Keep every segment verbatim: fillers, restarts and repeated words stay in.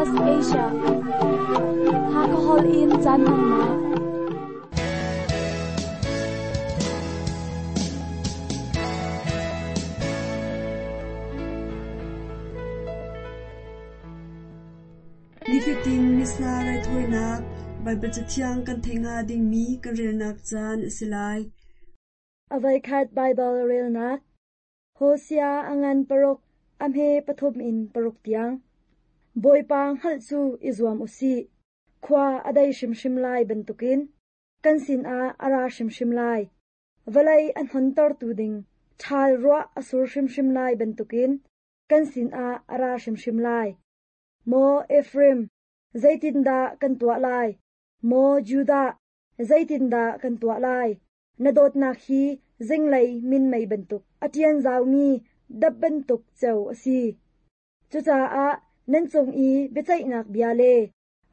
S B S Asia. Hakahol in caan hmannak. Nifatin Missa raithawinak Baibal Cathiang kan theih hnga dingmi kan relnak caan a si lai. Avaikhat Baibal relnak Hosea angan paruk amhe pathum in paruk tiang. Bawipa hngalh cu i zuam usih. Khua a dei hrimhrim lai bantukin kan sinah a ra hrimhrim lai. Vawlei an hontertu ding ṭhal ruah a sur hrimhrim lai bantukin kan sinah a ra hrimhrim lai. Maw Ephraim, zeitindah kan tuah lai? Maw Judah, zeitindah kan tuah lai? Na dawtnak hi zinglei minmei bantuk, a ṭian zaumi dap bantuk ceu a si. Cucaah nan cung i biaceihnak bia le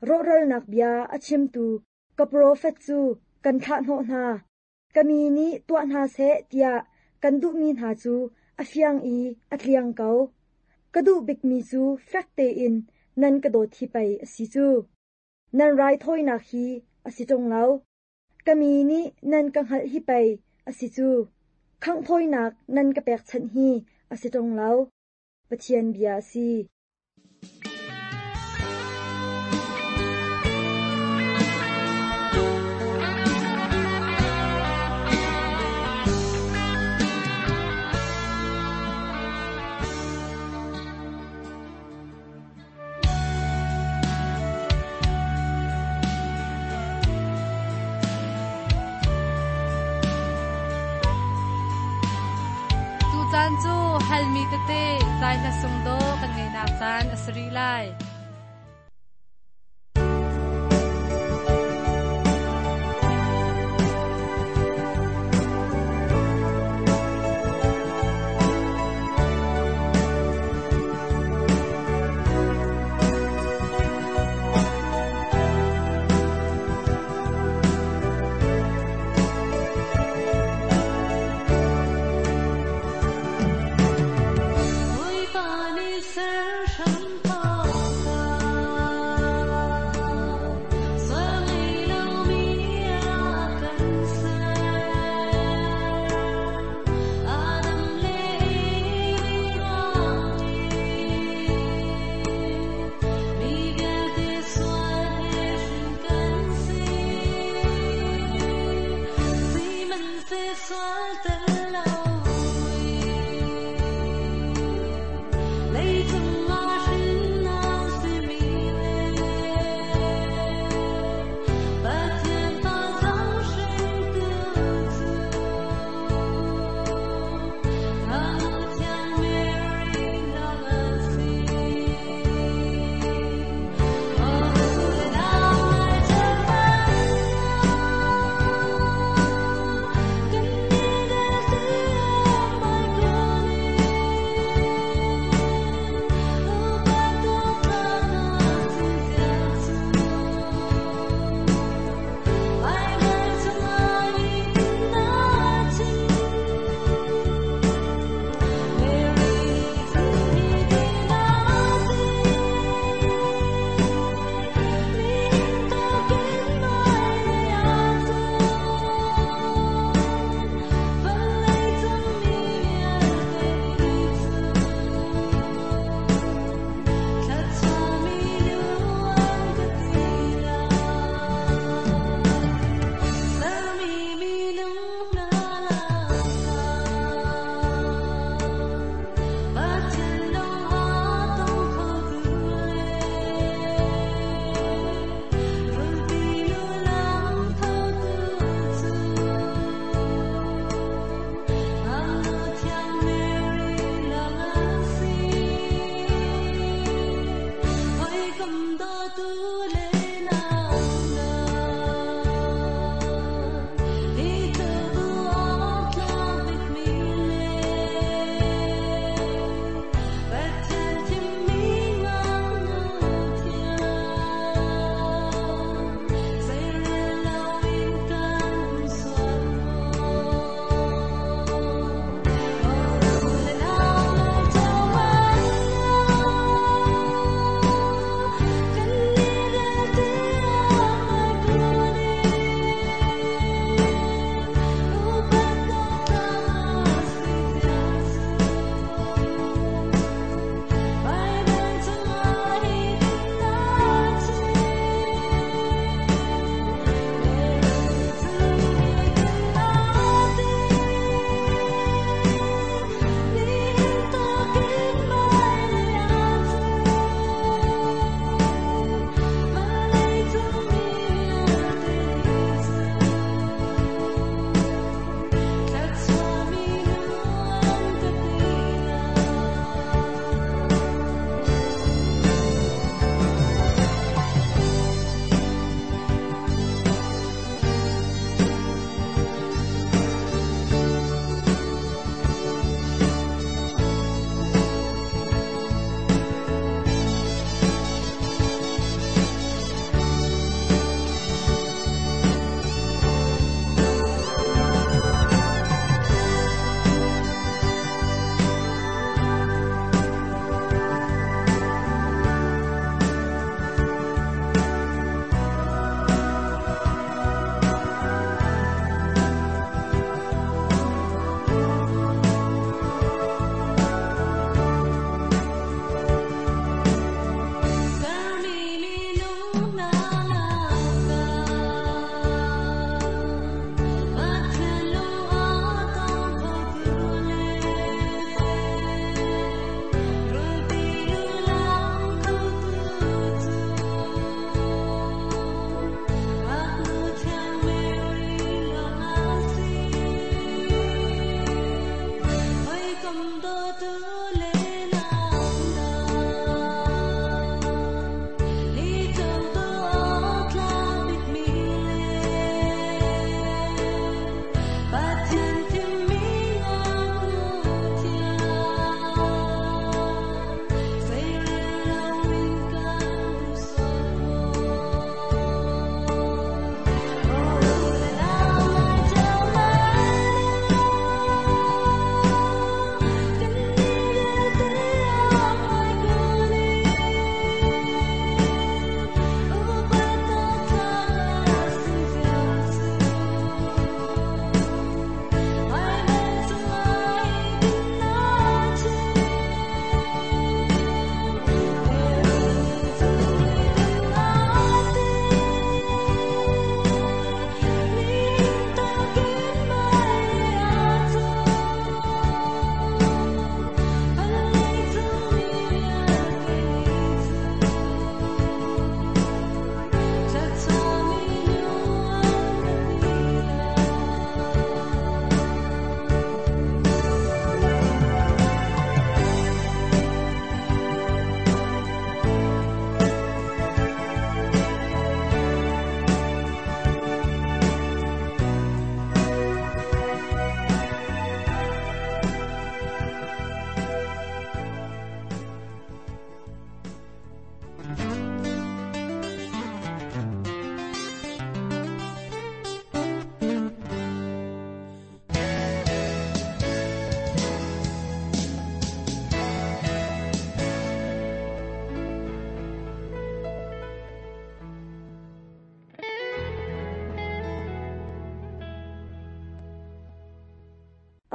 rawhralnak bia a chimtu ka profet cu kan thlah hnawh hna. Ka mi nih tuah hna seh tiah kan duhmi hna cu a fiang i a tliang ko. Ka duh bikmi cu fek tein nan ka dawt hi pei a si cu. Nan raithawinak hi a si ṭung lo. Ka mi nih nan ka hngalh hi pei a si cu. Khanghthawinak nan ka pekchanh hi a si ṭung lo. Pathian bia a si. Tucaan cu halmi tete zai hla sung do kan ngeinak caan a si rih lai.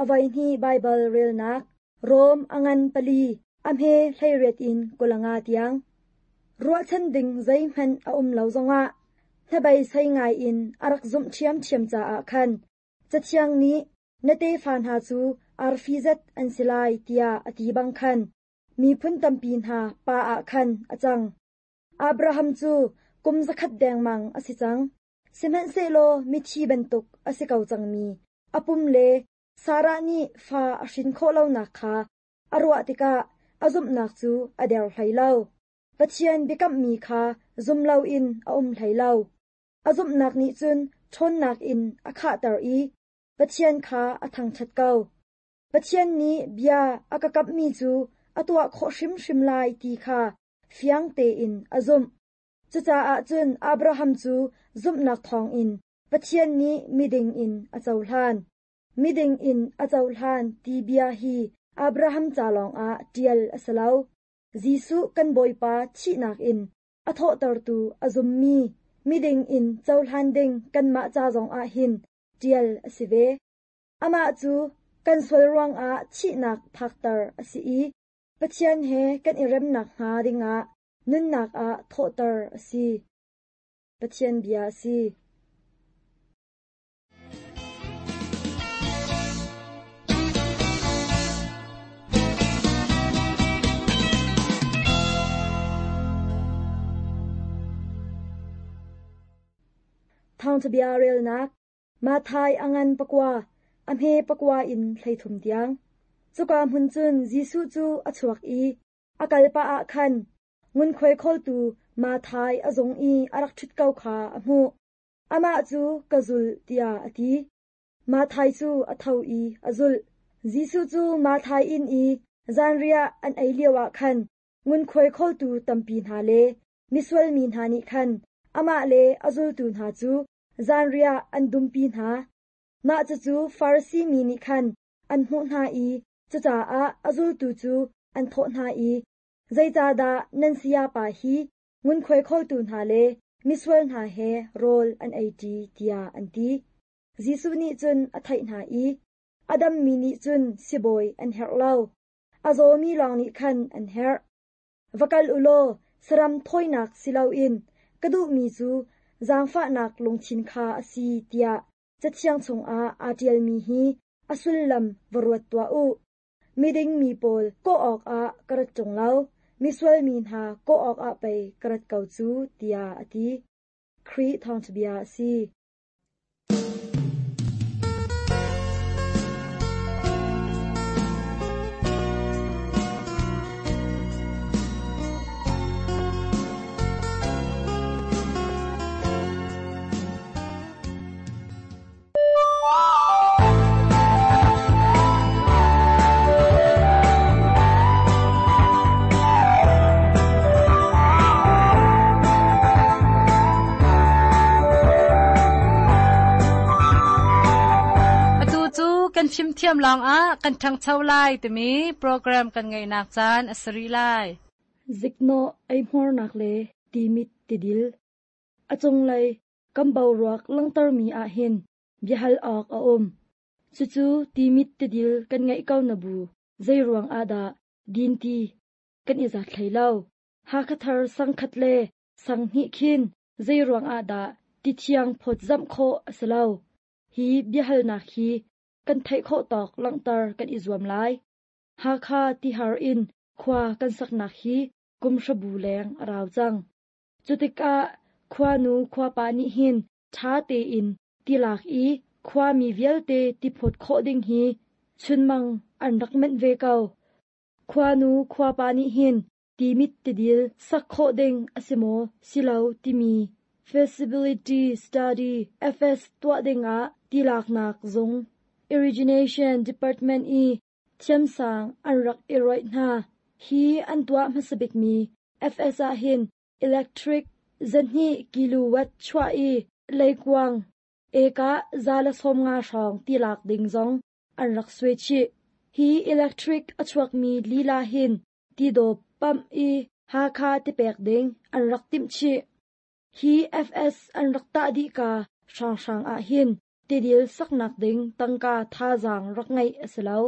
Avai hnih Baibal relnak Rom a ngan pali a hme hleiriat in kul le nga tiang. Ruahchan ding zeihmanh a um lo zongah hnabei sei ngai in a rak zumh ṭhiamṭhiam caah khan Cathiang nih na tefa hna cu arfi zat an si lai tiah a ti bang khan miphun tampi hna pa ah khan a cang. Abraham cu kum zakhat dengmang a si cang. Sihmanhsehlaw mithi bantuk a si ko cangmi a pum le Sarah nih fa a hrin khawh lonak kha a ruah tikah a zumhnak cu a der hlei lo. Pathian biakammi kha zum loin a um hlei lo. A zumhnak nih cun ṭhawnnak in a khahter i Pathian kha a thangṭhat ko. Pathian nih bia a ka kamhmi cu a tuah khawh hrimhrim lai ti kha fiang tein a zumh. Cucaah cun Abraham cu zumhnak thawngin Pathian nih miding in a cohlan. Miding in a cohlan ti bia hi Abraham ca lawngah ṭial a si lo. Jesuh kan Bawipa thihnak in a thawhtertu a zummi miding in cohlan ding kanmah ca zongah hin ṭial a si ve. Amah cu kan sual ruangah thihnak phakter a si i Pathian he kan i remnak hnga dingah nunnak ah thawhter a si. Pathian bia a si. Thawngṭha bia relnak Matthai a ngan pakua, a hme pakua in hleithum tiang. Cuka hmun cun Jesuh cu a chuak i a kal pah ah khan ngunkhuai khawltu Matthai a zung i a rak ṭhut ko kha a hmuh. Amah cu ka zulh tiah a ti. Matthai cu a tho i a zulh. Jesuh cu Matthai inn i zanriah an ei lioah khan ngunkhuai khawltu tampi hna le misual mi hna nih khan amah le a zultu hna cu zanriah an dumpi hna. Mah cucu Farasi mi nih khan an hmuh hna i cucaah a zultu cu an thawh hna i, zeicahdah nan sayapa hi ngunkhuai khawltu hna le misual hna he rawl an ei ṭi tiah an ti. Jesuh nih cun a theih hna i, a dammi nih cun sibawi an herh lo, a zawmi lawng nih khan an herh. Va kal u law saram thawinak si loin ka duhmi cu zaangfahnak lungthin kha a si tiah Cathiang chungah aa ṭialmi hi a sullam va ruat tuah u. Miding mi pawl kawh awkah ka rat ṭung lo, misual mi hna kawh awkah pei ka rat ko cu tiah a ti. Khrih thawngṭha bia a si. Kan fimthiam lawngah kan ṭhangcho lai timi program kan ngeihnak caan a si rih lai. Ziknawh eihmuarnak le timit tidil. A cunglei kan boruak langhtermi ah hin biahal awk a um. Cucu timit tidil kan ngeih ko na bu zeiruang ah dah dinti kan i zat hlei lo. Hakha sangkhat le sanghnih khin zeiruang ah dah tithiang phawt zamh khawh a si lo. Hi biahalnak hi kan theih khawh tawk langhter kan i zuam lai. Hakha tihar in khua kan saknak hi kum hrabu leng a rau cang. Cutikah khuanu khuapa nih hin ṭha tein tilak i khuami vialte tiphawt khawh ding hi chunmang an rak menh ve ko. Khuanu khuapa nih hin timit tidil sak khawh ding a si maw si lo timi Feasibility Study F S tuah dingah tilaknak zung Irrigation Department i thiamsang an rak i roih hna. Hi an tuah hmasabikmi F S ah hin electric zahnih kilowatt chuah i leikuang eka za le sawm nga hrawng tilak ding zong an rak suai chih. Hi electric a chuakmi lila hin tidawp pump i Hakha tipek ding an rak timh chih. Hi F S an rak tah dih ka hranghrang ah hin Tidil saknak ding tangka thazaang rak ngeih a si lo.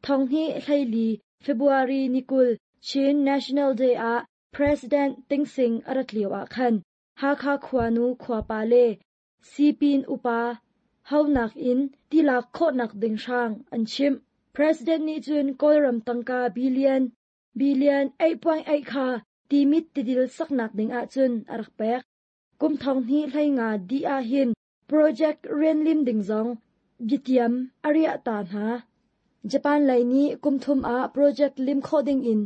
Thong hnih hleili February ni kul Chin National Day ah President Thein Sein a rat lio ah khan Hakha khuanu khuapa le Sipin upa haunak in tilak khawhnak ding hrang an chimh. President nih cun Kawlram tangka billion billion eight point eight kha Timit tidil saknak ding ahcun a rak pek. Kum thong hnih hlei nga di ah hin project rian lim ding zong biatiam a riah ta hna. Japan lei nih kum thum ah project lim khawh ding in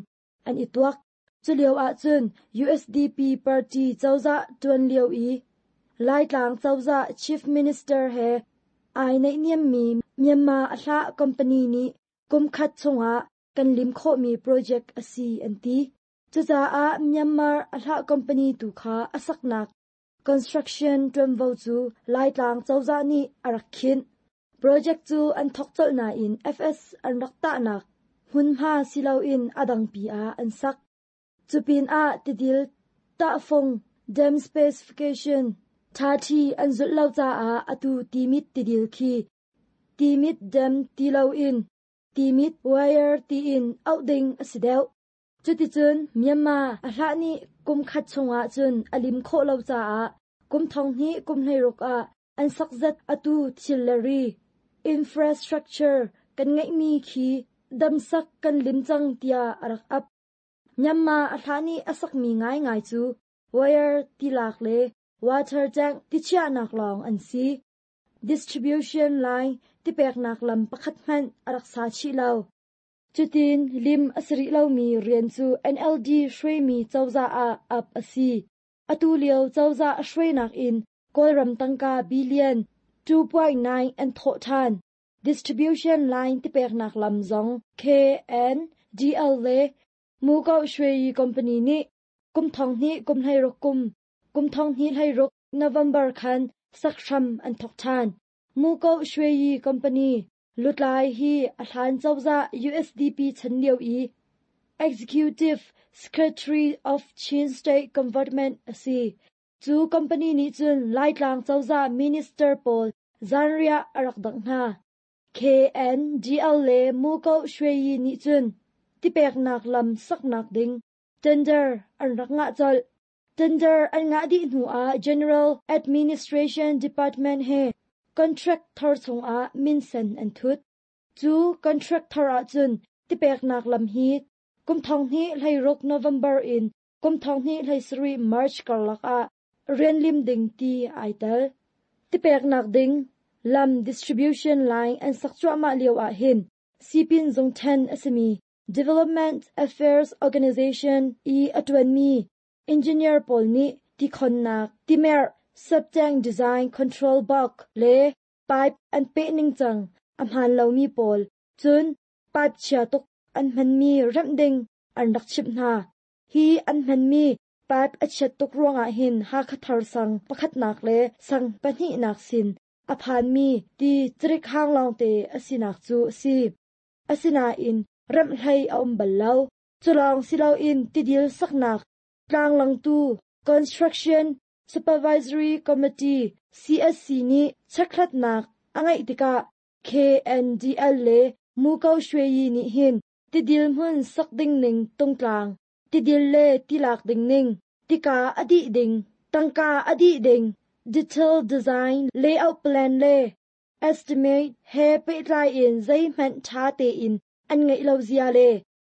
an i tuak. Cu lio ahcun U S D P party cozah tuan lio i Laitlang cozah Chief Minister he ai neih niammi Myanmar a hlah company nih kum khat chungah kan lim khawhmi project a si an ti. Cucaah Myanmar a hlah company tu kha a saknak construction tuanvo cu Laitlang cozah nih a rak khinh. Project cu an thok colh nain F S an rak tahnak hmunhma si loin a dangpi ah an sak. Cupin ah tidil tahfung dam specification ṭhaṭhi an zulh lo caah atu Timit tidil khi Timit dam ti loin Timit wire tiin auh ding a si deuh. Cuticun Myanmar a hlah nih kum khat chungah cun a lim khawh lo caah kum thong hnih kum hleiruk ah an sak zat atu thil le ri infrastructure kan ngeihmi khi damsak kan lim cang tiah a rak ap. Myanmar a hlah nih a sakmi ngaingai cu wire tilak le water tank tichiahnak lawng an si. Distribution line tipeknak lam pakhat hmanh a rak sa chih lo. Cutin lim a si rih lomi rian cu N L D hruaimi cozah ah ap a si. Atu lio cozah hruainak in Kawlram tangka billion two point nine an thawh ṭhan. Distribution line tipeknak lam zong K N D L le Muko Shweyi Company nih kum thong hnih kum hleiruk kum kum thong hnih hleiruk November khan sakhram an thawk ṭhan. Muko Shweyi Company lutlai hi a hlan cozah U S D P chan lio i Executive Secretary of Chin State Government a si. Cu company nih cun Laitlang cozah Minister pawl zanriah a rak dangh hna. K N D L le Muko Shweyi nih cun tipeknak lam saknak ding tender an rak ngah colh. Tender an ngah dih hnuah General Administration Department he contract thar chungah minsen an thut. Cu contract thar ahcun tipeknak lam hi kum thong hnih hleiruk November in kum thong hnih hleisarih March karlak ah rian lim ding ti ai tel. Tipeknak ding lam distribution line an sak cuahmah lio ah hin Sipin zung then a simi Development Affairs Organization i a tuanmi engineer pawl nih tikhonnak timerh subtank design control box le pipe an peh ningcang a hmaan lomi pawl cun pipe chia tuk an hmanmi remh ding an rak chimh hna. Hi an hmanmi pipe a chiat tuk ruangah hin Hakha thar sang pakhatnak le sang pahnihnak sin a phanmi ti cirik hang lawngte a sinak cu a si. Asinain remh hlei a um bal lo. Culawng si loin tidil saknak tlanglangtu Construction Supervisory Committee C S C nih chekhlatnak a ngeih tikah K N D L le Muko Shweyi nih hin tidil hmun sak ding ning tungtlang, tidil le tilak ding ning, tika a dih ding, tangka a dih ding, detail design, layout plan le estimate he pehtlai in zeihmanh ṭha tein an ngeih lo zia le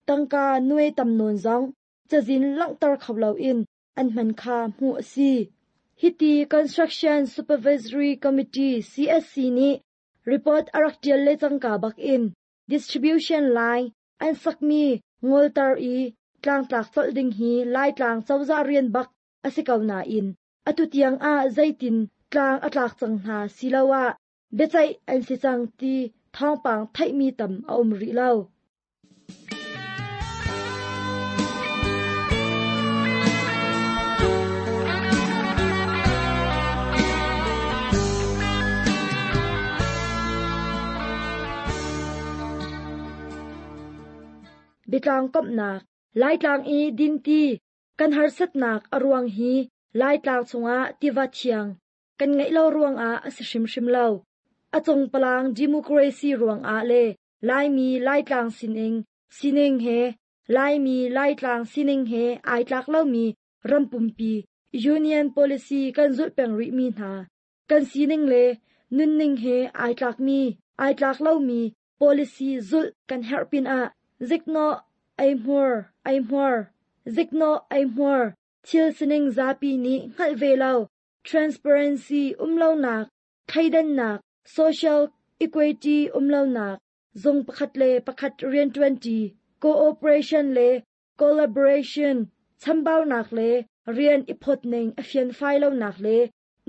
tangka nuai tam nawn zong cazin langhter kho loin an hman kha hmuh a si. Hiti Construction Supervisory Committee C S C nih report a rak ṭial le cangka bak in distribution line an sakmi ngolter i tlangtlak colh ding hi Laitlang cozah rian bak a si ko nain atu tiang ah zeitin tlang a tlak cang hna siloah biaceih an si cang ti thawngpang theihmi tam a um rih lo. Biatlang komhnak Laitlang i dinti kan harsatnak a ruang hi Laitlang chungah tiva thiang kan ngeih lo ruangah a si hrimhrim lo. Achong palang democracy ruang ah le Laimi Laitlang sining sining he Laimi Laitlang sining he ai tlak lomi rampumpi Union Policy kan zulh peng rih mi hna. Kan sining le nunning he ai tlak mi ai tlak lomi policy zulh kan herh pinah zikno ei hmur ei hmur zikno ei hmur thil sining zapi nih hngalh ve lo transparency um lonak thleidannak social equity um lonak zung pakhat le pakhat rianṭuanṭi cooperation le collaboration chambaunak le rian i phawtning a fianfai lonak le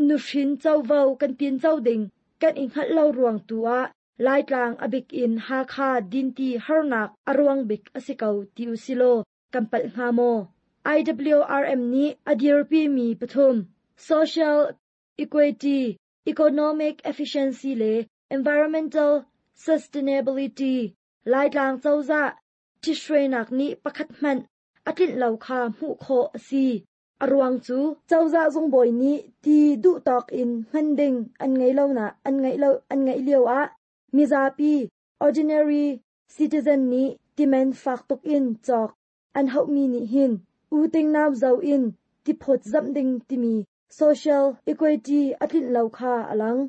nuhrin covo kan tin co ding kan i hngalh lo ruang tu ah Laitlang a bik in Hakha dinti harnak a ruang bik a si ko ti usilo kan palh hnga maw? I W R M nih a dirpi mi pathum social equity, economic efficiency le environmental sustainability Laitlang cozah ṭhithruainak nih pakhat hmanh a tlinh lo kha hmuh khawh a si. A ruang cu cozah zungbawi nih ti duhtawk in hman ding an ngei lo na an ngeih lo an ngeih lio ah mizapi ordinary citizen nih timen fak tuk in cawk an hauhmi nih hin uting nau zo in tiphawt zamh ding timi social equity a tlinh lo kha a lang.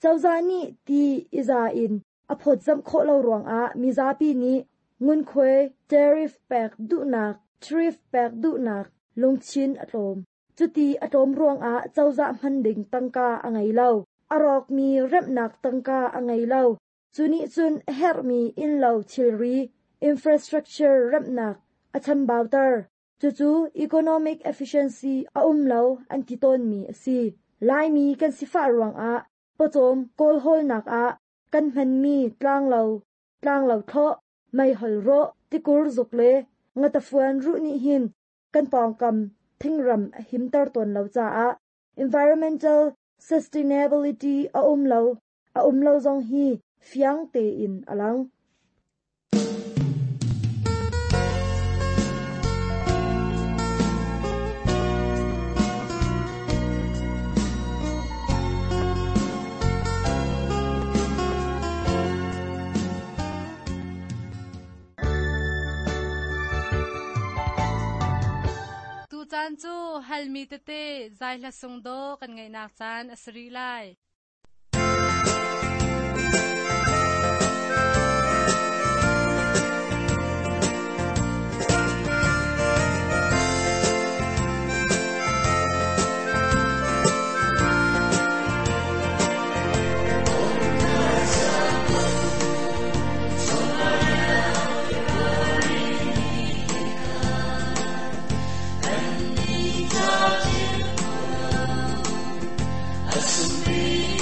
Cozah nih ti iza in a phawt zamh khawh lo ruangah mizapi nih ngunkhuai tariff pek duhnak tariff pek duhnak lungchin a tlawm. Cuti a tlawm ruangah cozah hman ding tangka a ngei lo. A rawkmi remhnak tangka a ngei lo. Cu nih cun a herhmi innlo thilri infrastructure remhnak a chambauter. Cucu economic efficiency a um lo an ti tawnmi a si. Laimi kan sifah ruangah pawcawm kawlhawlnak ah kan hmanmi tlanglo tlanglo thlawh meihol rawh tikur zuk le ngatafuan ruh nih hin kan pawngkam thingram a himter tawn lo caah environmental sustainability a um lo a um lo zong hi fiang tein a lang. Caan cu halmi tete zai hla sung do kan ngaihnak caan a si rih lai. Asumbi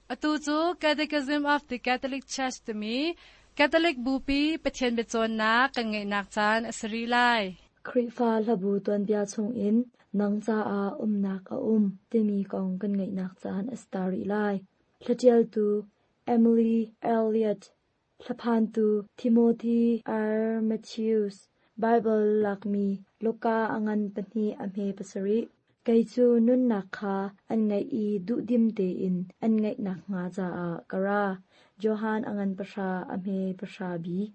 Atu cu Catechism of the Catholic Church timi Catholic Bupi Pathian biacawnnak kan ngeihnak caan a si rih lai. Khrihfa hlabu tuanbia chungin nang caah umnak a um timi kong kan ngeihnak caan a si ta rih lai. Hlatialtu Emily Elliott, Hlaphantu Timothy R. Matthews, Bible lakmi Luka a ngan pahnih a hme pasarih. Kei cu nunnak kha an ngeih i duhdim tein an ngeihnak hnga caah ka ra. Johan a ngan pahra a hme pahra bi.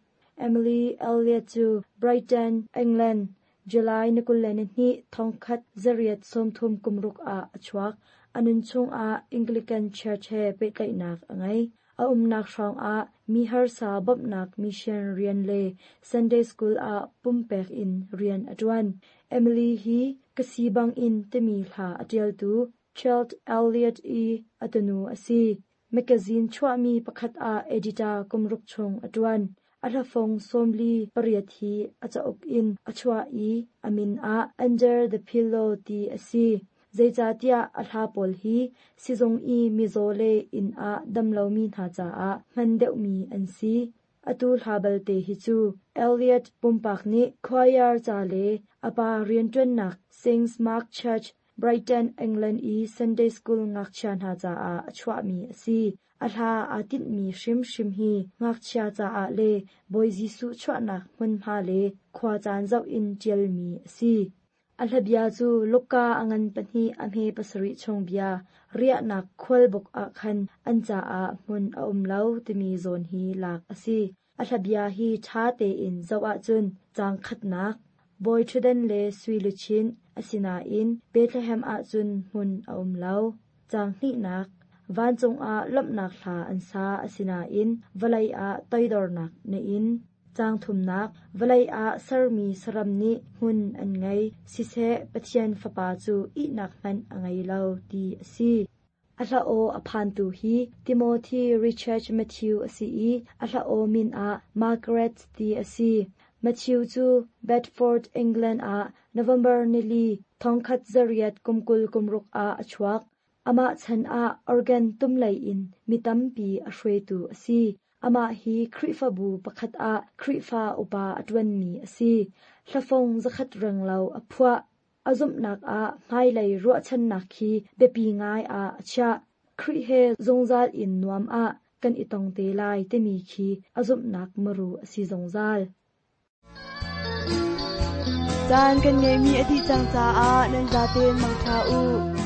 Emily Elliott cu Brighton, England, July ni kul le ni hnih thongkhat zariat sawmthum kumruk ah a chuak. A nun chungah Anglican Church he pehtlaihnak a ngei. A umnak hrawngah mi harsa bawmhnak mission rian le Sunday School ah pumpek in rian a ṭuan. Emily hi ka si bangin timi hla a ṭialtu Charles Elliott i a tunu a si. Magazine chuahmi pakhat ah editor kumruk chung a ṭuan. A hlafong sawmli pariat hi a cauk in a chuah i a min ah Under the Pillow ti a si. Zeicahtiah a hla pawl hi sizung i mizaw le inn ah damlomi hna caah hman deuhmi an si. Atu hla balte hi cu Elliott pumpak nih choir ca le a pa rianṭuannak Saint Mark Church, Brighton, England i Sunday School ngakchia hna caah a chuahmi a si. A hla aa tinhmi hrimhrim hi ngakchia caah le Bawi Jesuh chuahnak hmunhma le khuacaan zoh in ṭialmi a si. A hlabia cu Luka a ngan pahnih a hme pasarih chung bia riahnak khualbuk ah khan an caah hmun a um lo timi zawn hi lak a si. A hlabia hi ṭha tein zoh ahcun caang khatnak, bawi ṭhutdan le sui luchin asinain Bethlehem ahcun hmun a um lo. Caang hnihnak, vancung ah lawmhnak hla an sa asinain vawlei ah toidornak na in. Caang thumnak, vawlei ah sermi saram nih hmun an ngei, siseh Pathian Fapa cu ihnak hmanh a ngei lo ti a si. A hla aw a phantu hi Timothy Richard Matthew a si i a hla aw min ah Margaret ti a si. Matthew cu Bedford, England ah November nili thongkhat zariat kumkul kumruk ah a chuak. Amah chan ah organ tumlei in mi tampi a hruaitu a si. Amah hi Khrihfabu pakhat ah Khrihfa upa a ṭuanmi a si. Hlafong zakhat renglo a phuah. A zumhnak ah hmailei ruahchannak khi biapi ngai ah a chiah. Khrih he zungzal in nuam ah kan i tong te lai timi khi a zumhnak muru a si zungzal. Caan kan ngeimi a dih cang caah nan zaten mangṭha u.